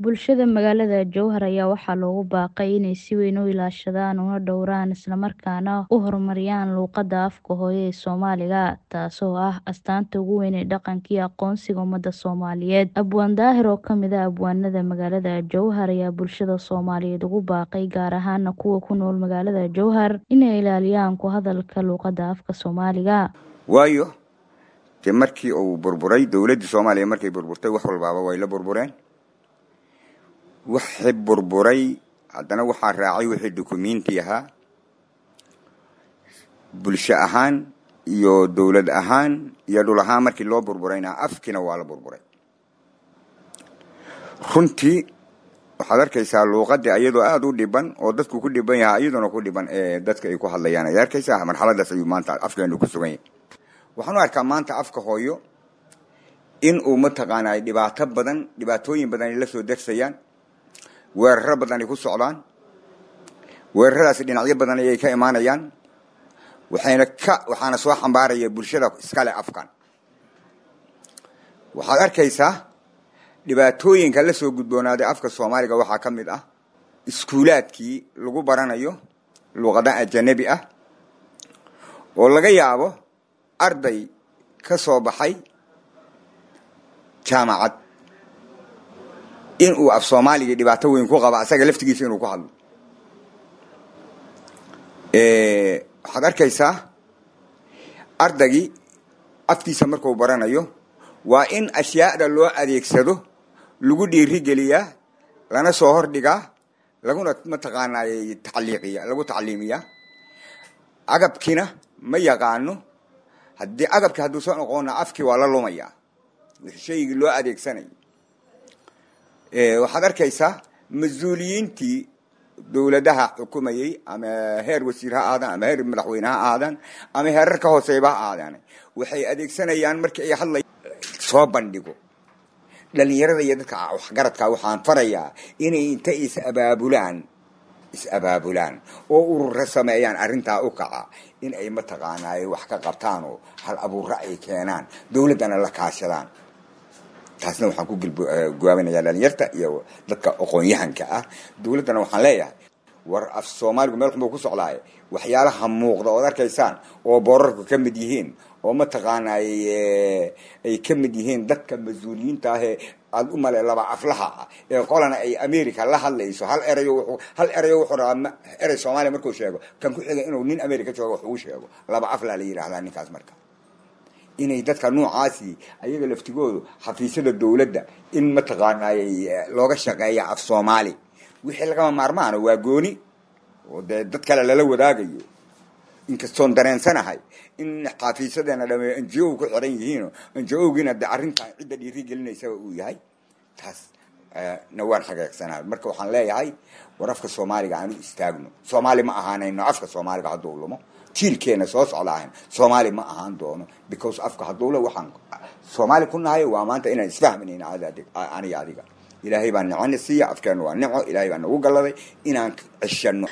Bulshada magaalada Jowhar ayaa waxaa loogu baaqay inay si weyn u ilaashadaan una dhowraan islamarkaana u horumariyaan luqadda afka hooyo ee Soomaaliga, taasoo ah astaanta ugu weyn ee dhaqanka iyo aqoonsiga ummadda Soomaaliyeed. Abwaan Daahir oo ka mid ah abwaanada magaalada Jowhar ayaa bulshada Soomaaliyeed ugu baaqay, gaar ahaana kuwa ku nool magaalada Jowhar, inay ilaaliyaan ku hadalka luqadda afka Soomaaliga. Waayo dee markii uu burburay dowladdii Soomaaliya, markay burburtay wax walbaaba way la burbureen. Wixii burburay haddana waxaa raacay wixii dukumenti ahaa, bulsho ahaan iyo dowlad ahaan iyo dhul ahaan. Markii loo burburayna afkiina waa la burburay. Runtii waxaad arkaysaa luuqadii iyadoo aada u dhiban oo dadku ku dhiban yahay, iyaduna ku dhiban ee dadka ay ku hadlayaan ayaad arkaysaa. Marxaladaas ayuu maanta afkeenu ku sugan yahay. Waxaan u arkaa maanta afka hooyo in uu mataqaanaa dhibaato badan, dhibaatooyin badan ay la soo darsayaan, weeraro badan ay ku socdaan. Weeraradaasi dhinacyo badan ayay ka imaanayaan, waxayna ka waxaana soo xambaaraya bulshada iskale afkan. Waxaad arkaysaa dhibaatooyinka la soo gudboonaaday afka Soomaaliga waxaa ka mid ah iskuulaadkii lagu baranayo luqada ajanabi ah, oo laga yaabo arday ka soo baxay jaamacad in uu af Soomaaliga dhibaato weyn ku qaba asaga laftigiisa inuu ku hadlo. Waxaad arkaysaa ardaygii afkiisa markuu baranayo waa in ashyaada loo adeegsado lagu dhiirigeliyaa, lana soo hordhigaa, laguna mataqaanaa tacliiqiya, lagu tacliimiyaa. Agabkiina ma yaqaano. Haddii agabki hadduusan oqoona afkii waa la lumayaa shaygii loo adeegsanayo. Waxaad arkaysaa mas-uuliyiintii dowladaha xukumayey, ama heer wasiir ha ahaadaan, ama heer madaxweyne ha ahaadaan, ama heerar ka hooseyba ha ahaadaan, waxay adeegsanayaan markii ay hadlay soo bandhigo. Dhalinyarada iyo dadka waxgaradka waxaan farayaa inay inta is abaabulaan, is abaabulaan oo urura sameeyaan arrintaa u kaca, in ay mataqaanaaye wax ka qabtaan oo hal abuurra ay keenaan, dowladdana la kaashadaan. Taasna waxaan ku guwaabinayaa dhalinyarta iyo dadka aqoon-yahanka ah. Dowladdana waxaan leeyahay, war af Soomaaligu meel xun buu ku socdaaye, waxyaalaha muuqda ood arkaysaan oo boorarku ka mid yihiin oo mataqaanay ay ka mid yihiin dadka mas-uuliyiinta ahee aada u male laba aflaha ah ee qolana ay America la hadlayso, hal erayo hal erayo wuxuu rabaa erey Soomaaliya markuu sheego, kan ku xiga inuu nin America joogo wax ugu sheego. Laba aflaa la yidhahdaa ninkaas. Marka inay dadka noocaasi ayaga laftigoodu xafiisyada dowladda in mataqaanay looga shaqeeya af Soomaali. Wixii lagama maarmaana waa gooni oo dee dad kale lala wadaagayo, inkastoon dareensanahay in xafiisyadeena dhame NGO ku xiran yihiin, NGO-giina de arrintan cidda dhiiri gelinaysaba uu yahay, taas na waan xageegsanahay. Marka waxaan leeyahay, war afka Soomaaliga aanu istaagno. Soomaali ma ahaanayno afka Soomaaliga hadduu lumo. Jiilkeena soo socda ahayn Soomaali ma ahaan doono, because afka hadduu le waxaan Soomaali ku nahay waa maanta inaan isfahmanayna aniga adiga. Ilaahay baa nicana siiya, afkeena waa nico, Ilaahay baa nagu galladay inaan ceshano.